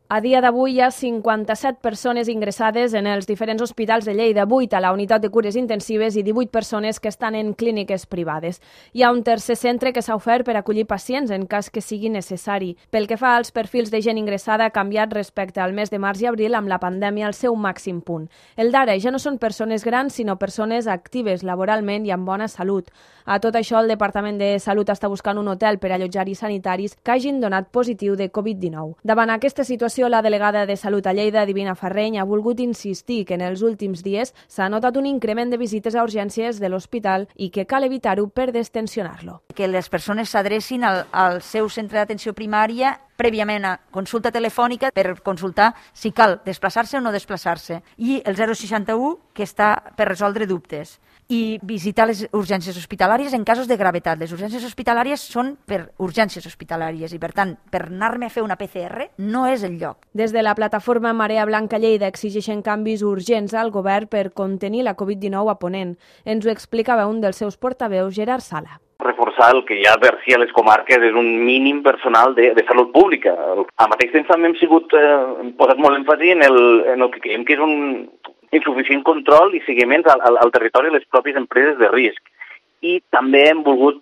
A dia d'avui hi ha 57 persones ingressades en els diferents hospitals de Lleida, 8 a la unitat de cures intensives i 18 persones que estan en clíniques privades. Hi ha un tercer centre que s'ha ofert per acollir pacients en cas que sigui necessari. Pel que fa als perfils de gent ingressada, ha canviat respecte al mes de març i abril amb la pandèmia al seu màxim punt. El d'ara ja no són persones grans, sinó persones actives laboralment i amb bona salut. A tot això, el Departament de Salut està buscant un hotel per allotjar-hi sanitaris que hagin donat positiu de Covid-19. Davant aquesta situació, la delegada de Salut a Lleida, Divina Ferreny, ha volgut insistir que en els últims dies s'ha notat un increment de visites a urgències de l'hospital i que cal evitar-ho per destensionar-lo. Que les persones s'adrecin al seu centre d'atenció primària prèviament a consulta telefònica per consultar si cal desplaçar-se o no desplaçar-se. I el 061, que està per resoldre dubtes. I visitar les urgències hospitalàries en casos de gravetat. Les urgències hospitalàries són per urgències hospitalàries i, per tant, per anar-me a fer una PCR no és el lloc. Des de la plataforma Marea Blanca Lleida exigeixen canvis urgents al govern per contenir la Covid-19 a Ponent. Ens ho explicava un dels seus portaveus, Gerard Sala. Reforçar el que ja per si a les comarques és un mínim personal de salut pública. Al mateix temps també hem posat molt èmfasi en el que creiem que és un insuficient control i seguiment al territori de les pròpies empreses de risc. I també hem volgut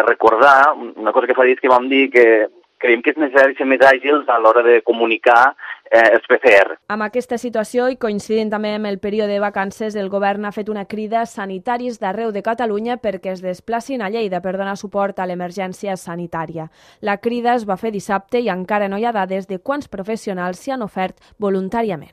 recordar una cosa que fa dies que vam dir, que creiem que és necessari ser més àgils a l'hora de comunicar els PCR. Amb aquesta situació i coincidint també amb el període de vacances, el govern ha fet una crida a sanitaris d'arreu de Catalunya perquè es desplacin a Lleida per donar suport a l'emergència sanitària. La crida es va fer dissabte i encara no hi ha dades de quants professionals s'hi han ofert voluntàriament.